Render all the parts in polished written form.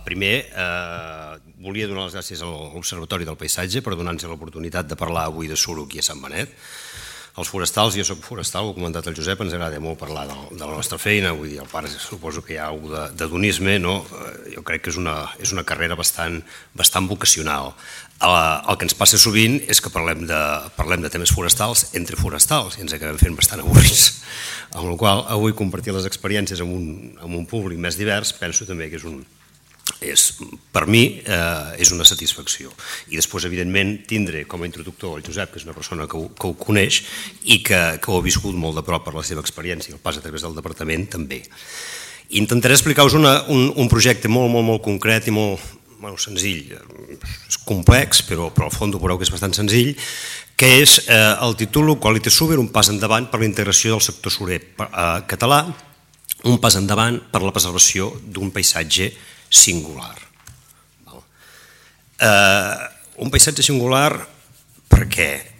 Primer, volia donar les gràcies a l'Observatori del Paisatge per donar-nos l'oportunitat de parlar avui de suro aquí a Sant Benet. Els forestals, jo soc forestal, ho ha comentat el Josep, ens agrada molt parlar de la nostra feina, vull dir, al part suposo que hi ha alguna de donisme, no? Jo crec que és una carrera bastant vocacional. El que ens passa sovint és que parlem de temes forestals entre forestals i ens acabem fent bastant avorrits, amb la qual avui compartir les experiències amb un públic més divers penso també que per mi és una satisfacció. I després, evidentment, tindré com a introductor el Josep, que és una persona que ho coneix i que ho ha viscut molt de prop per la seva experiència, el pas a través del departament també. Intentaré explicar-vos un projecte molt concret i molt senzill. És complex, però al fons veureu que és bastant senzill, que és el títol Quality Suber, un pas endavant per la integració del sector surer català, un pas endavant per la preservació d'un paisatge singular. Un paisatge singular perquè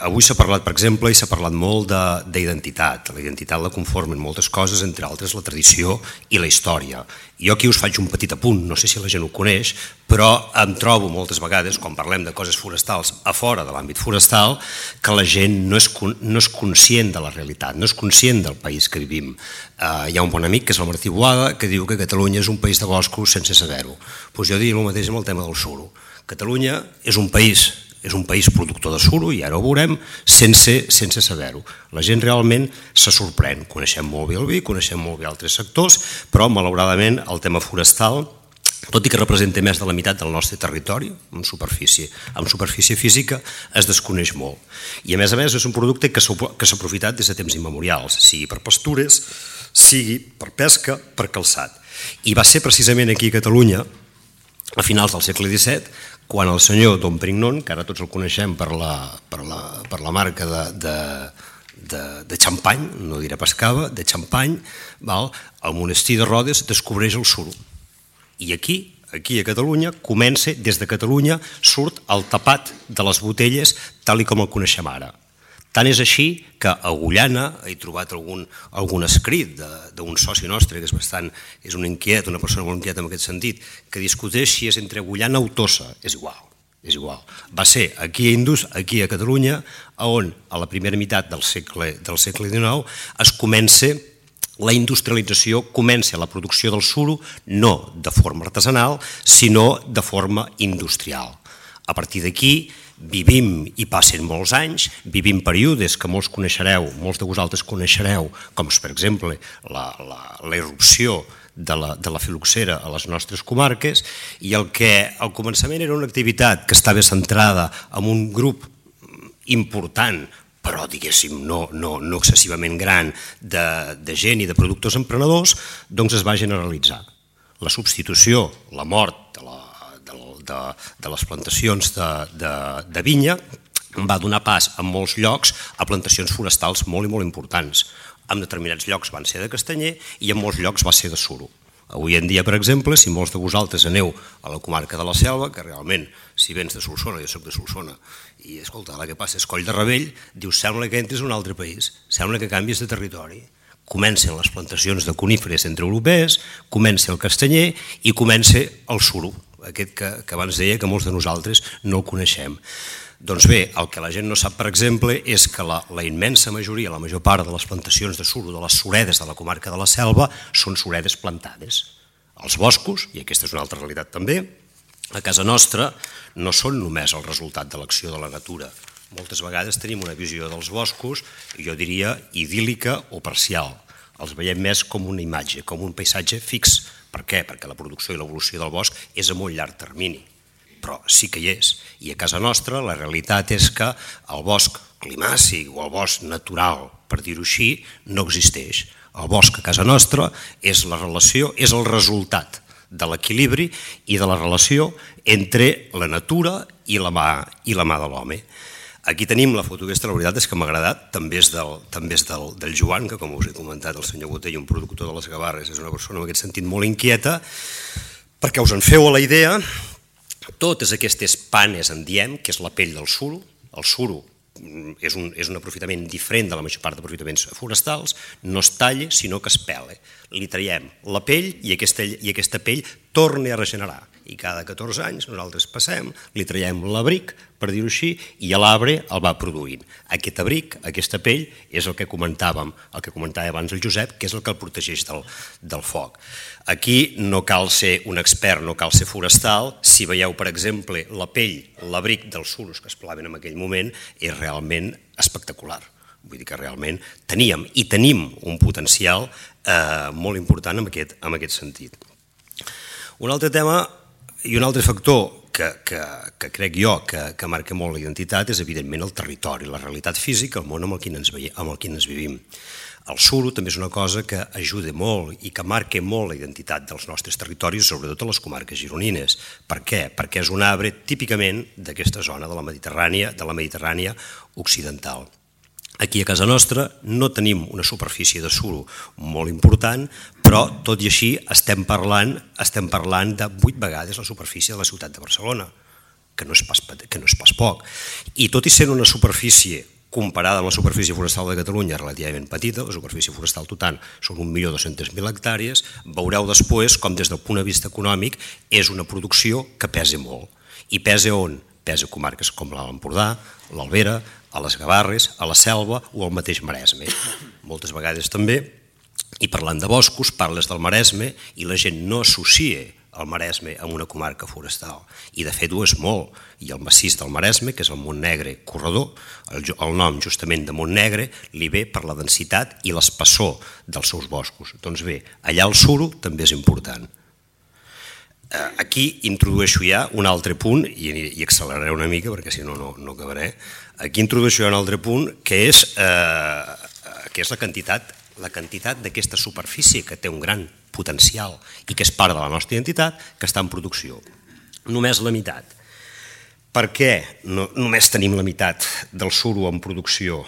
avui s'ha parlat, per exemple, i s'ha parlat molt d'identitat. La identitat la conformen moltes coses, entre altres la tradició i la història. Jo aquí us faig un petit apunt, no sé si la gent ho coneix, però em trobo moltes vegades, quan parlem de coses forestals a fora de l'àmbit forestal, que la gent no és conscient de la realitat, no és conscient del país que vivim. Hi ha un bon amic, que és el Martí Boada, que diu que Catalunya és un país de boscos sense saber-ho. Jo diria el mateix amb el tema del suro. Catalunya és un país productor de suro, i ara ho veurem, sense saber-ho. La gent realment se sorprèn. Coneixem molt bé el vi, coneixem molt bé altres sectors, però malauradament el tema forestal, tot i que representa més de la meitat del nostre territori, en superfície física, es desconeix molt. I a més és un producte que s'ha aprofitat des de temps immemorials, sigui per pastures, sigui per pesca, per calçat. I va ser precisament aquí a Catalunya, a finals del segle XVII, quan el senyor Dom Perignon, que ara tots el coneixem per la marca de xampany, no diré pas cava, de xampany, al monestir de Rodes descobreix el suro. I aquí a Catalunya, des de Catalunya, surt el tapat de les botelles tal com el coneixem ara. Tant és així que a Agullana he trobat algun escrit d'un soci nostre, que és una persona molt inquieta en aquest sentit, que discuteix si és entre Agullana o Tossa. És igual. Va ser aquí a Catalunya on a la primera meitat del segle XIX es comença la industrialització, comença la producció del suro no de forma artesanal, sinó de forma industrial. A partir d'aquí vivim, i passen molts anys, vivim períodes que molts de vosaltres coneixereu, com per exemple la irrupció de la filoxera a les nostres comarques, i el que al començament era una activitat que estava centrada en un grup important, però diguéssim no excessivament gran, de gent i de productors emprenedors, doncs es va generalitzar. La substitució, la mort de les plantacions de vinya va donar pas en molts llocs a plantacions forestals molt i molt importants. En determinats llocs van ser de castanyer i en molts llocs va ser de suro. Avui en dia, per exemple, si molts de vosaltres aneu a la comarca de la Selva, que realment, si vens de Solsona, jo soc de Solsona, i escolta, la que passa és Coll de Ravell, dius, sembla que entres en un altre país, sembla que canvies de territori. Comencen les plantacions de coníferes centreeuropees, comença el castanyer i comença el suro, aquest que abans deia que molts de nosaltres no el coneixem. Doncs bé, el que la gent no sap, per exemple, és que la immensa majoria, la major part de les plantacions de suro, de les suredes de la comarca de la Selva, són suredes plantades. Els boscos, i aquesta és una altra realitat també, a casa nostra no són només el resultat de l'acció de la natura. Moltes vegades tenim una visió dels boscos, jo diria idíl·lica o parcial. Els veiem més com una imatge, com un paisatge fix. Per què? Perquè la producció i l'evolució del bosc és a molt llarg termini, però sí que hi és. I a casa nostra la realitat és que el bosc climàcic o el bosc natural, per dir-ho així, no existeix. El bosc a casa nostra és la relació, és el resultat de l'equilibri i de la relació entre la natura i la mà de l'home. Aquí tenim la foto aquesta, la veritat és que m'ha agradat, també és del Joan, que com us he comentat el senyor Botell, un productor de les Gavarres, és una persona en aquest sentit molt inquieta, perquè us en feu a la idea, totes aquestes panes en diem, que és la pell del suro, el suro és un aprofitament diferent de la major part d'aprofitaments forestals, no es talla, sinó que es pela. Li traiem la pell i aquesta pell torna a regenerar. I cada 14 anys nosaltres passem, li traiem l'abric, per dir-ho així, i l'arbre el va produint. Aquest abric, aquesta pell, és el que comentava abans el Josep, que és el que el protegeix del foc. Aquí no cal ser un expert, no cal ser forestal. Si veieu, per exemple, la pell, l'abric dels suros que es pelaven en aquell moment, és realment espectacular. Vull dir que realment teníem un potencial molt important en aquest sentit. Un altre tema i un altre factor que crec jo que marca molt la identitat és evidentment el territori, la realitat física, el món amb el quin ens vivim. El suro també és una cosa que ajuda molt i que marca molt la identitat dels nostres territoris, sobretot a les comarques gironines. Per què? Perquè és un arbre típicament d'aquesta zona de la Mediterrània occidental. Aquí a casa nostra no tenim una superfície de suro molt important, però tot i així estem parlant de 8 vegades la superfície de la ciutat de Barcelona, que no és pas poc. I tot i sent una superfície comparada amb la superfície forestal de Catalunya relativament petita, la superfície forestal total són 1.200.000 hectàrees, veureu després com des del punt de vista econòmic és una producció que pesa molt. I pesa on? Pesa a comarques com l'Alt Empordà, l'Albera, a les Gavarres, a la Selva o al mateix Maresme. Moltes vegades també, i parlant de boscos, parles del Maresme i la gent no associa el Maresme amb una comarca forestal. I de fet ho és molt. I el massís del Maresme, que és el Montnegre corredor, el nom justament de Montnegre li ve per la densitat i l'espessor dels seus boscos. Doncs bé, allà el suro també és important. Aquí introdueixo ja un altre punt, i acceleraré una mica perquè si no, no acabaré. Aquí introdueixo ja un altre punt, que és la quantitat d'aquesta superfície que té un gran potencial i que és part de la nostra identitat, que està en producció. Només la meitat. Per què només tenim la meitat del suro en producció?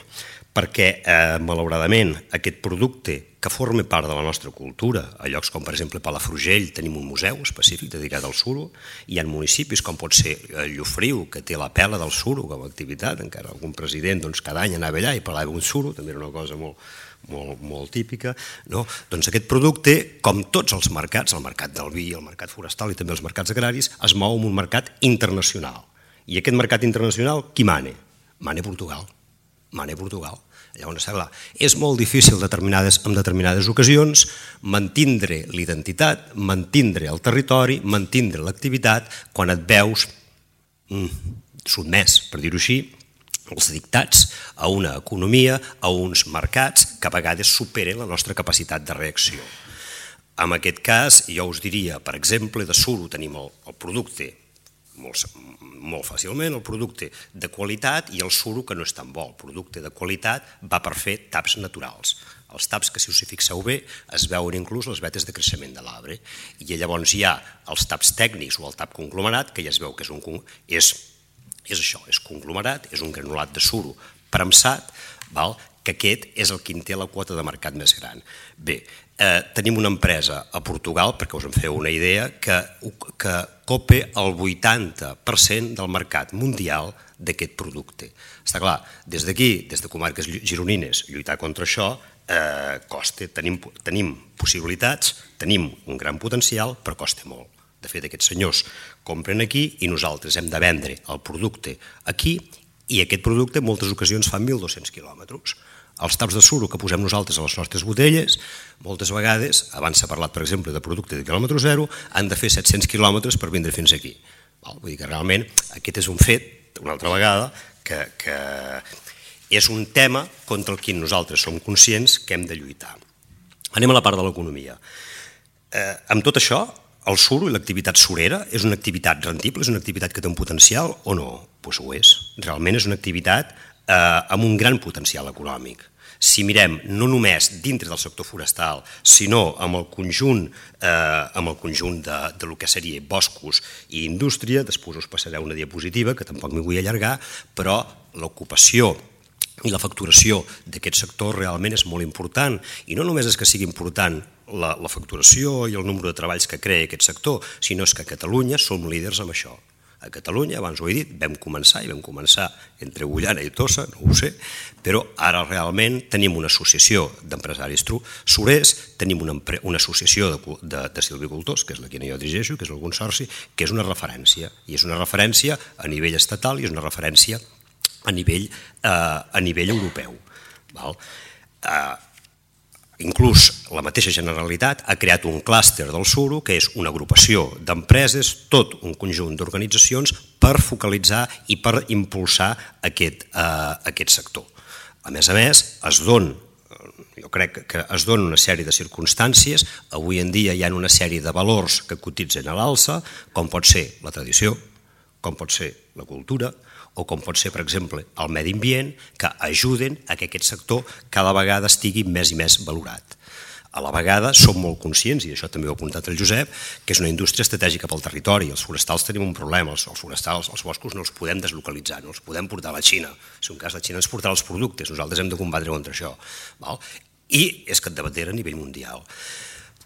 Perquè, malauradament, aquest producte que forma part de la nostra cultura, a llocs com, per exemple, Palafrugell, tenim un museu específic dedicat al suro, hi ha municipis com pot ser Llofriu, que té la pela del suro com a activitat, encara algun president cada any anava allà i parlava d'un suro, també era una cosa molt típica. Doncs aquest producte, com tots els mercats, el mercat del vi, el mercat forestal i també els mercats agraris, es mou en un mercat internacional. I aquest mercat internacional, qui mana? Mana Portugal. Llavors, és molt difícil en determinades ocasions mantindre l'identitat, mantindre el territori, mantindre l'activitat quan et veus sotmès, per dir-ho així, els dictats a una economia, a uns mercats que a vegades superen la nostra capacitat de reacció. En aquest cas, jo us diria, per exemple, de suro tenim el producte molt fàcilment, el producte de qualitat i el suro que no és tan bo. El producte de qualitat va per fer taps naturals. Els taps que, si us hi fixeu bé, es veuen inclús les vetes de creixement de l'arbre. I llavors hi ha els taps tècnics o el tap conglomerat, que ja es veu que és això, és conglomerat, és un granulat de suro premsat, que aquest és el que en té la quota de mercat més gran. Bé, tenim una empresa a Portugal, perquè us en feu una idea, que copa el 80% del mercat mundial d'aquest producte. Està clar, des d'aquí, des de comarques gironines, lluitar contra això costa. Tenim possibilitats, tenim un gran potencial, però costa molt. De fet, aquests senyors compren aquí i nosaltres hem de vendre el producte aquí i aquest producte en moltes ocasions fa 1.200 quilòmetres. Els taps de suro que posem nosaltres a les nostres botelles, moltes vegades, abans s'ha parlat, per exemple, de producte de quilòmetre zero, han de fer 700 quilòmetres per vindre fins aquí. Vull dir que realment aquest és un fet, una altra vegada, que és un tema contra el qual nosaltres som conscients que hem de lluitar. Anem a la part de l'economia. Amb tot això, el suro i l'activitat surera és una activitat rendible, és una activitat que té un potencial o no? Doncs ho és. Realment és una activitat amb un gran potencial econòmic. Si mirem no només dintre del sector forestal, sinó amb el conjunt del que seria boscos i indústria, després us passaré una diapositiva, que tampoc m'hi vull allargar, però l'ocupació i la facturació d'aquest sector realment és molt important. I no només és que sigui important la facturació i el nombre de treballs que crea aquest sector, sinó que a Catalunya som líders en això. A Catalunya, abans ho he dit, vam començar entre Agullana i Tossa, no ho sé, però ara realment tenim una associació d'empresaris surers, tenim una associació de silvicultors, que és la que jo dirigeixo, que és el Consorci, que és una referència, i és una referència a nivell estatal i és una referència a nivell europeu. Inclús la mateixa Generalitat ha creat un clúster del suro, que és una agrupació d'empreses, tot un conjunt d'organitzacions per focalitzar i per impulsar aquest sector. A més, jo crec que es donen una sèrie de circumstàncies. Avui en dia hi ha una sèrie de valors que cotitzen a l'alça, com pot ser la tradició, com pot ser la cultura, o com pot ser, per exemple, el medi ambient, que ajuden a que aquest sector cada vegada estigui més i més valorat. A la vegada som molt conscients, i això també ho ha apuntat el Josep, que és una indústria estratègica pel territori. Els forestals tenim un problema, els forestals, els boscos no els podem deslocalitzar, no els podem portar a la Xina. Si un cas la Xina ens portarà els productes, nosaltres hem de combatre contra això. I és capdavantera a nivell mundial.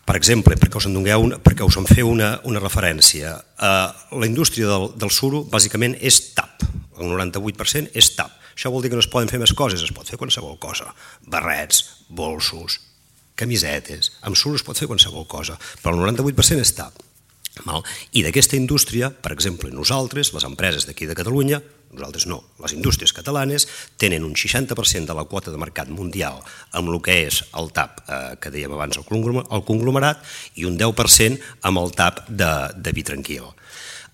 Per exemple, perquè us en feu una referència, la indústria del suro bàsicament és tap, el 98% és tap. Això vol dir que no es poden fer més coses, es pot fer qualsevol cosa, barrets, bolsos, camisetes, amb suro es pot fer qualsevol cosa, però el 98% és tap. I d'aquesta indústria, per exemple, nosaltres, les empreses d'aquí de Catalunya, nosaltres no, les indústries catalanes tenen un 60% de la quota de mercat mundial amb el que és el tap que dèiem abans, el conglomerat, i un 10% amb el tap de vi tranquil.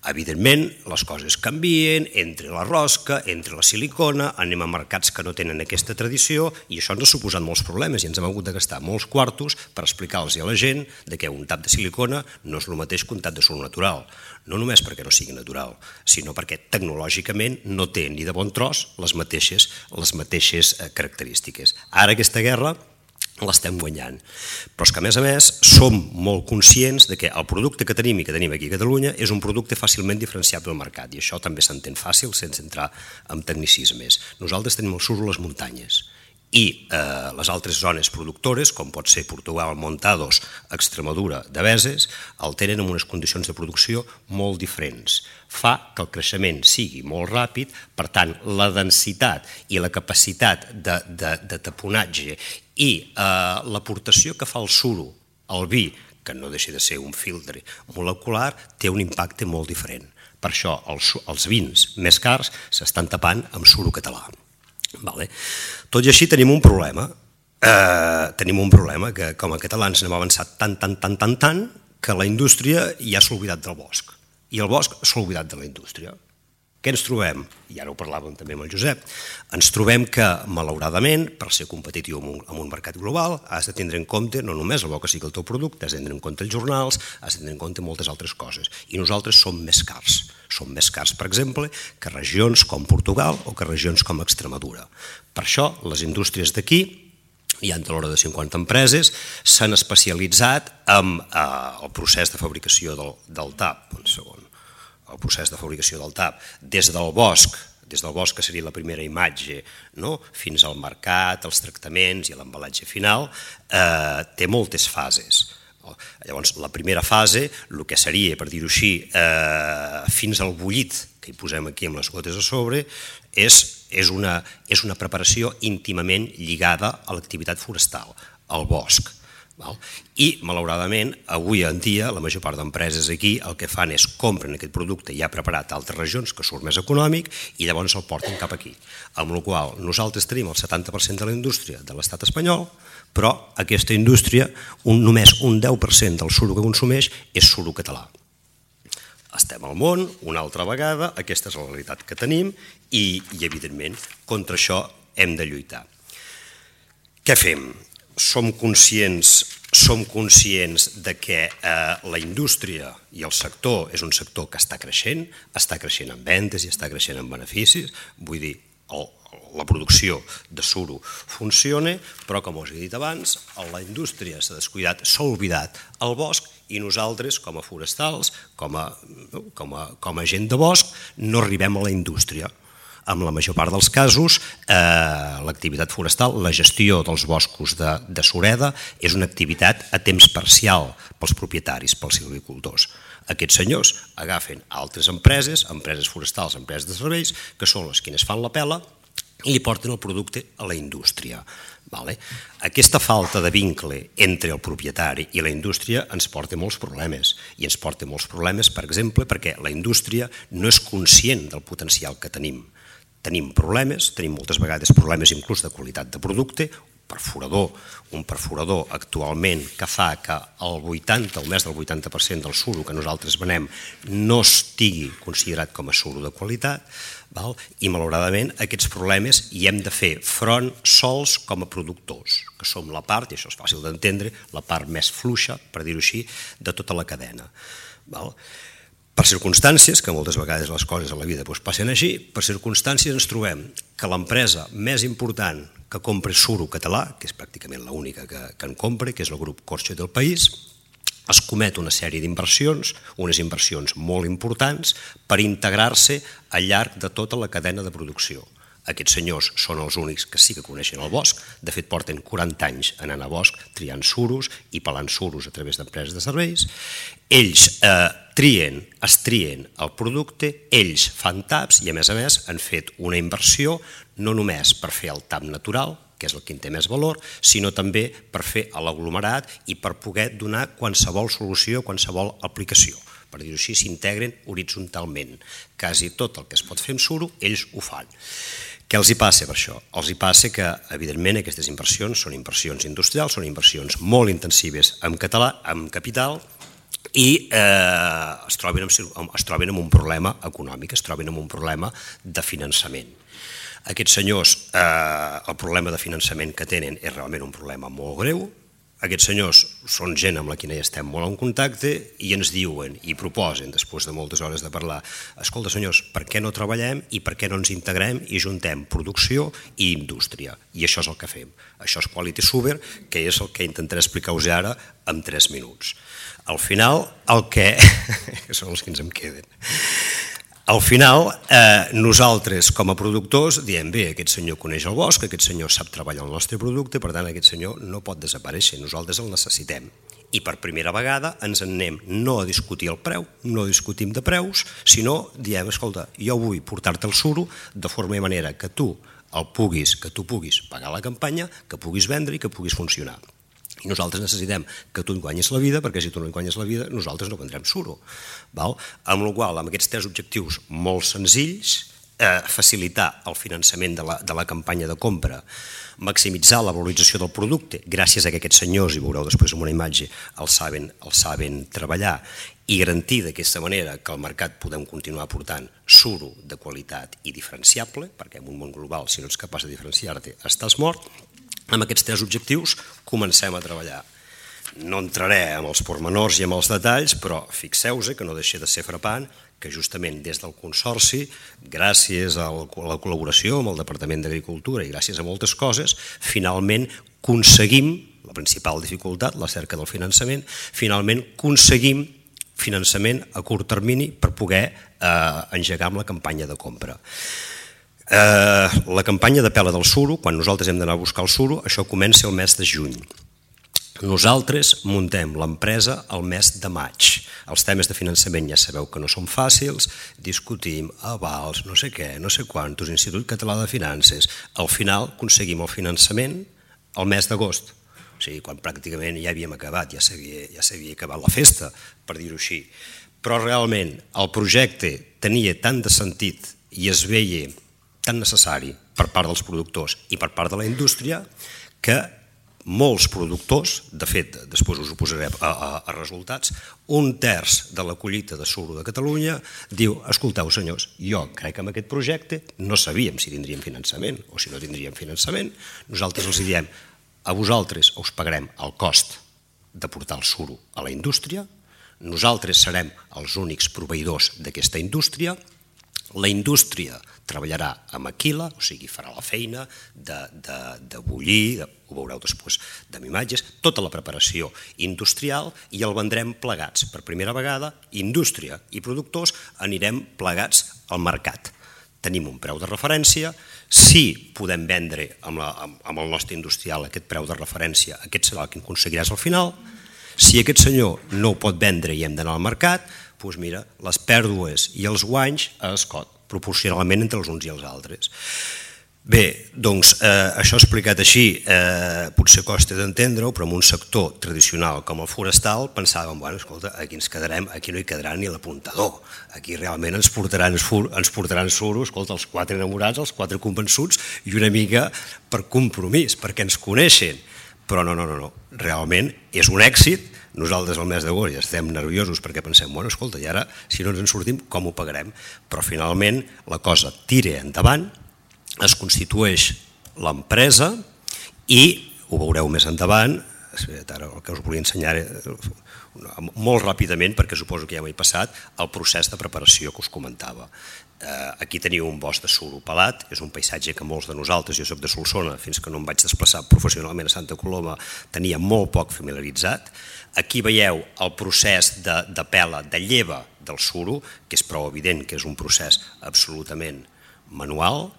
Evidentment, les coses canvien entre la rosca, entre la silicona, anem a mercats que no tenen aquesta tradició i això ens ha suposat molts problemes i ens hem hagut de gastar molts quartos per explicar-los a la gent que un tap de silicona no és el mateix que un tap de suro natural. No només perquè no sigui natural, sinó perquè tecnològicament no té ni de bon tros les mateixes característiques. Ara aquesta guerra l'estem guanyant. Però és que, a més, som molt conscients que el producte que tenim i que tenim aquí a Catalunya és un producte fàcilment diferenciable al mercat i això també s'entén fàcil sense entrar en tecnicismes. Nosaltres tenim el suro a les muntanyes i les altres zones productores, com pot ser Portugal, Montados, Extremadura, Deveses, el tenen en unes condicions de producció molt diferents. Fa que el creixement sigui molt ràpid, per tant, la densitat i la capacitat de taponatge i l'aportació que fa el suro al vi, que no deixa de ser un filtre molecular, té un impacte molt diferent. Per això els vins més cars s'estan tapant amb suro català. Tot i així tenim un problema. Que com a catalans hem avançat tant que la indústria ja s'ha oblidat del bosc i el bosc s'ha oblidat de la indústria. Què ens trobem? I ara ho parlàvem també amb el Josep. Ens trobem que, malauradament, per ser competitiu en un mercat global, has de tindre en compte no només el bo que sigui el teu producte, has de tindre en compte els jornals, has de tindre en compte moltes altres coses. I nosaltres som més cars. Som més cars, per exemple, que regions com Portugal o que regions com Extremadura. Per això, les indústries d'aquí, hi ha de l'hora de 50 empreses, s'han especialitzat en el procés de fabricació del tap. Un segon. El procés de fabricació del tap, des del bosc, que seria la primera imatge, fins al mercat, els tractaments i l'embalatge final, té moltes fases. Llavors, la primera fase, el que seria, per dir-ho així, fins al bullit, que hi posem aquí amb les gotes a sobre, és una preparació íntimament lligada a l'activitat forestal, al bosc. I, malauradament, avui en dia, la major part d'empreses aquí el que fan és compren aquest producte ja preparat a altres regions, que surt més econòmic, i llavors el porten cap aquí. Amb la qual cosa nosaltres tenim el 70% de la indústria de l'estat espanyol, però aquesta indústria, només un 10% del suro que consumeix és suro català. Estem al món, una altra vegada, aquesta és la realitat que tenim i, evidentment, contra això hem de lluitar. Què fem? Som conscients de que la indústria i el sector és un sector que està creixent en vendes i està creixent en beneficis, vull dir, la producció de suro funciona, però com us he dit abans, la indústria s'ha descuidat, s'ha oblidat el bosc i nosaltres, com a forestals, com a gent de bosc, no arribem a la indústria. En la major part dels casos, l'activitat forestal, la gestió dels boscos de Sureda, és una activitat a temps parcial pels propietaris, pels silvicultors. Aquests senyors agafen altres empreses forestals, empreses de serveis, que són les que fan la pela i li porten el producte a la indústria. Aquesta falta de vincle entre el propietari i la indústria ens porta molts problemes, i ens porta molts problemes, per exemple, perquè la indústria no és conscient del potencial que tenim. Tenim problemes, tenim moltes vegades problemes inclús de qualitat de producte, un perforador actualment que fa que el 80 o més del 80% del suro que nosaltres venem no estigui considerat com a suro de qualitat, i malauradament aquests problemes hi hem de fer front sols com a productors, que som la part, i això és fàcil d'entendre, la part més fluixa, per dir-ho així, de tota la cadena. Per circumstàncies, que moltes vegades les coses a la vida passen així, per circumstàncies ens trobem que l'empresa més important que compra suro català, que és pràcticament l'única que en compra, que és el grup Corcho del País, es comet una sèrie d'inversions, unes inversions molt importants, per integrar-se al llarg de tota la cadena de producció. Aquests senyors són els únics que sí que coneixen el bosc, de fet porten 40 anys anant a bosc triant suros i pelant suros a través d'empreses de serveis. Ells trien el producte, ells fan taps i a més han fet una inversió no només per fer el tap natural, que és el que en té més valor, sinó també per fer l'aglomerat i per poder donar qualsevol solució, qualsevol aplicació. Per dir-ho així, s'integren horitzontalment. Quasi tot el que es pot fer amb suro, ells ho fan. Què els hi passa per això? Els hi passa que, evidentment, aquestes inversions són inversions industrials, són inversions molt intensives en capital i es troben amb un problema econòmic, es troben amb un problema de finançament. Aquests senyors, el problema de finançament que tenen és realment un problema molt greu. Aquests senyors són gent amb la qual estem molt en contacte i ens diuen i proposen, després de moltes hores de parlar, escolta senyors, per què no treballem i per què no ens integrem i juntem producció i indústria? I això és el que fem. Això és Quality Suber, que és el que intentaré explicar-vos ara en 3 minuts. Al final, que són els que ens en queden. Al final, nosaltres com a productors diem, bé, aquest senyor coneix el bosc, aquest senyor sap treballar el nostre producte, per tant aquest senyor no pot desaparèixer, nosaltres el necessitem. I per primera vegada ens en anem no a discutir el preu, no discutim de preus, sinó diem, escolta, jo vull portar-te el suro de forma i manera que tu puguis pagar la campanya, que puguis vendre i que puguis funcionar. I nosaltres necessitem que tu en guanyis la vida, perquè si tu no en guanyes la vida, nosaltres no vendrem suro. Amb la qual cosa, amb aquests 3 objectius molt senzills, facilitar el finançament de la campanya de compra, maximitzar la valorització del producte, gràcies a que aquests senyors, i veureu després en una imatge, el saben treballar, i garantir d'aquesta manera que al mercat podem continuar portant suro de qualitat i diferenciable, perquè en un món global, si no ets capaç de diferenciar-te, estàs mort. Amb aquests 3 objectius comencem a treballar. No entraré en els pormenors i en els detalls, però fixeu-vos que no deixa de ser frapant que justament des del Consorci, gràcies a la col·laboració amb el Departament d'Agricultura i gràcies a moltes coses, finalment aconseguim, la principal dificultat, la cerca del finançament, finalment aconseguim finançament a curt termini per poder engegar amb la campanya de compra. La campanya de pela del suro, quan nosaltres hem d'anar a buscar el suro, això comença el mes de juny. Nosaltres muntem l'empresa el mes de maig. Els temes de finançament ja sabeu que no són fàcils, discutim avals, no sé què, no sé quantos, Institut Català de Finances. Al final aconseguim el finançament el mes d'agost, o sigui, quan pràcticament ja havíem acabat, ja s'havia acabat la festa, per dir-ho així. Però realment el projecte tenia tant de sentit i es veia tan necessari per part dels productors i per part de la indústria que molts productors, de fet, després us ho posaré a resultats, 1/3 de la collita de suro de Catalunya diu, escolteu senyors, jo crec que amb aquest projecte no sabíem si tindríem finançament o si no tindríem finançament, nosaltres els diem, a vosaltres us pagarem el cost de portar el suro a la indústria, nosaltres serem els únics proveïdors d'aquesta indústria, la indústria treballarà a maquila, o sigui, farà la feina de bullir, ho veureu després amb imatges, tota la preparació industrial i el vendrem plegats. Per primera vegada, indústria i productors anirem plegats al mercat. tenim un preu de referència, si podem vendre amb el nostre industrial aquest preu de referència, aquest serà el que aconseguiràs al final. Si aquest senyor no ho pot vendre i hem d'anar al mercat, doncs mira, les pèrdues i els guanys a escot, proporcionalment entre els uns i els altres. Bé, doncs això explicat així potser costa d'entendre-ho, però en un sector tradicional com el forestal pensàvem, bueno, escolta, aquí ens quedarem, aquí no hi quedarà ni l'apuntador, aquí realment ens portaran suro, escolta, els 4 enamorats, els 4 convençuts i una mica per compromís, perquè ens coneixen, però no, realment és un èxit. Nosaltres al mes d'agost ja estem nerviosos perquè pensem, bueno, escolta, i ara si no ens en sortim, com ho pagarem? Però finalment la cosa tira endavant, es constitueix l'empresa i, ho veureu més endavant, ara el que us volia ensenyar molt ràpidament, perquè suposo que ja m'he passat, el procés de preparació que us comentava. Aquí teniu un bosc de suro pelat, és un paisatge que molts de nosaltres, jo soc de Solsona, fins que no em vaig desplaçar professionalment a Santa Coloma, tenia molt poc familiaritzat. Aquí veieu el procés de pela, de lleva del suro, que és prou evident que és un procés absolutament manual.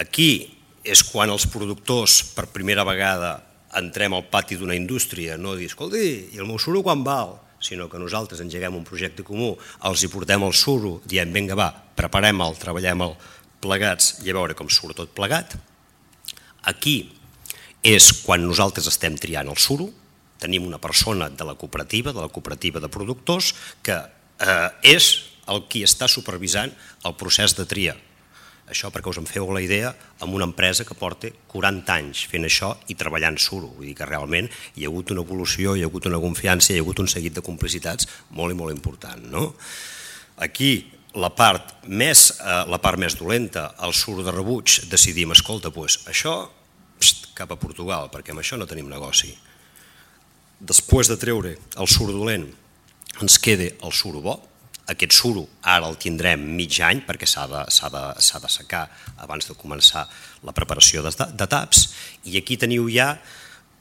Aquí és quan els productors per primera vegada entrem al pati d'una indústria, no dir, escolti, i el meu suro quan val? Sinó que nosaltres engeguem un projecte comú, els hi portem el suro, diem, vinga va, preparem-el, treballem-el plegats i a veure com surt tot plegat. Aquí és quan nosaltres estem triant el suro, tenim una persona de la cooperativa de productors, que és el qui està supervisant el procés de tria. Això perquè us en feu la idea amb una empresa que porta 40 anys fent això i treballant suro. Vull dir que realment hi ha hagut una evolució, hi ha hagut una confiança, hi ha hagut un seguit de complicitats molt i molt important. Aquí la part més dolenta, el suro de rebuig, decidim, escolta, això cap a Portugal, perquè amb això no tenim negoci. Després de treure el suro dolent ens queda el suro bo. Aquest suro ara el tindrem mig any perquè s'ha de secar abans de començar la preparació de taps, i aquí teniu ja,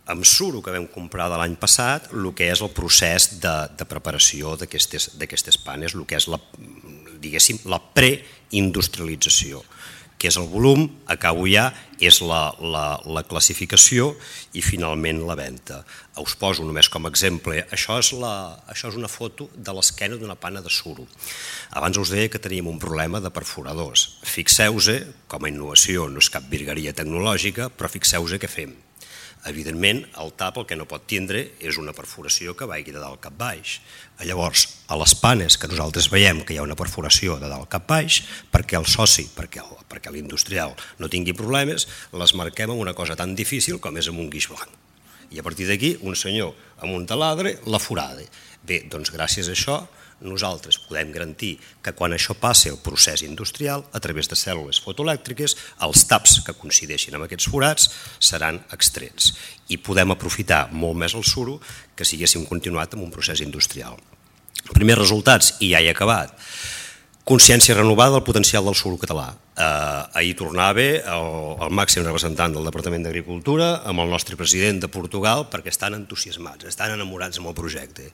amb suro que vam comprar de l'any passat, el que és el procés de preparació d'aquestes panes, el que és la preindustrialització, que és el volum, acabo ja, és la classificació i finalment la venda. Us poso només com a exemple, això és una foto de l'esquena d'una pana de suro. Abans us deia que teníem un problema de perforadors. Fixeu-vos, com a innovació no és cap virgueria tecnològica, però fixeu-vos què fem. Evidentment, el tap el que no pot tindre és una perforació que vagi de dalt cap baix. Llavors, a les panes que nosaltres veiem que hi ha una perforació de dalt cap baix, perquè el soci, perquè l'industrial no tingui problemes, les marquem amb una cosa tan difícil com és amb un guix blanc. I a partir d'aquí, un senyor amb un taladre la forada. Bé, doncs gràcies a això, nosaltres podem garantir que quan això passi al procés industrial, a través de cèl·lules fotoelèctriques, els taps que coincideixin amb aquests forats seran extrets i podem aprofitar molt més el suro que si haguéssim continuat amb un procés industrial. Primers resultats, i ja he acabat. Consciència renovada del potencial del suro català. Ahir tornava el màxim representant del Departament d'Agricultura amb el nostre president de Portugal perquè estan entusiasmats, estan enamorats amb el projecte.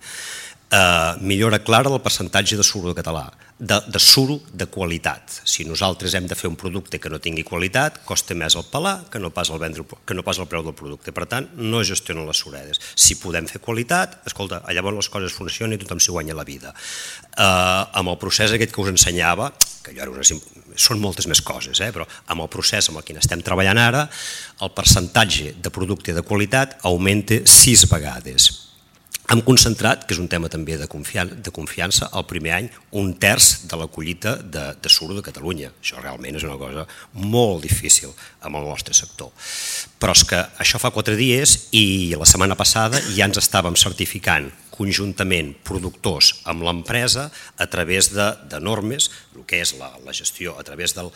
Millora clara del percentatge de suro català, de suro de qualitat. Si nosaltres hem de fer un producte que no tingui qualitat, costa més el pelar que no pas el preu del producte. Per tant, no es gestionen les suredes. Si podem fer qualitat, escolta, llavors les coses funcionen i tothom s'hi guanya la vida. Amb el procés aquest que us ensenyava, que són moltes més coses, però amb el procés amb el que estem treballant ara, el percentatge de producte de qualitat augmenta 6 vegades. Hem concentrat, que és un tema també de confiança, el primer any 1/3 de la collita de suro de Catalunya. Això realment és una cosa molt difícil amb el nostre sector. Però és que això fa 4 dies i la setmana passada ja ens estàvem certificant conjuntament productors amb l'empresa a través de normes, el que és la gestió a través del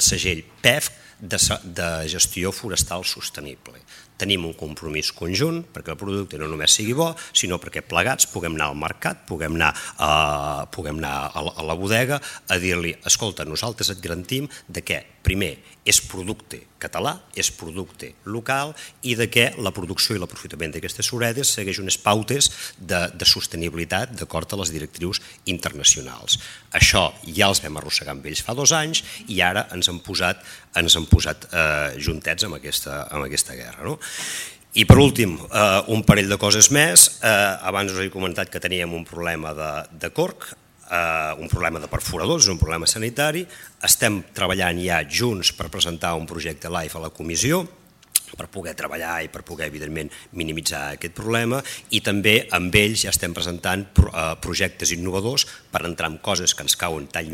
segell PEFC de gestió forestal sostenible. tenim un compromís conjunt perquè el producte no només sigui bo, sinó perquè plegats puguem anar al mercat, puguem anar a la bodega a dir-li, escolta, nosaltres et garantim de que, primer, és producte català, és producte local i de què la producció i l'aprofitament d'aquestes suredes segueix unes pautes de sostenibilitat d'acord a les directrius internacionals. Això ja els vam arrossegar amb ells fa 2 anys i ara ens han posat juntets amb aquesta guerra. I per últim, un parell de coses més. Abans us he comentat que teníem un problema de corc, un problema de perforadors, un problema sanitari. Estem treballant ja junts per presentar un projecte LIFE a la comissió per poder treballar i per poder, evidentment, minimitzar aquest problema, i també amb ells ja estem presentant projectes innovadors per entrar en coses que ens cauen tan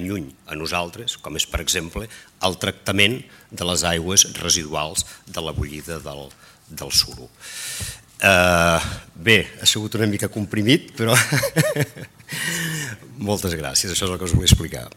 lluny a nosaltres, com és, per exemple, el tractament de les aigües residuals de la bullida del suro. Bé, ha sigut una mica comprimit, però moltes gràcies, això és el que us vull explicar.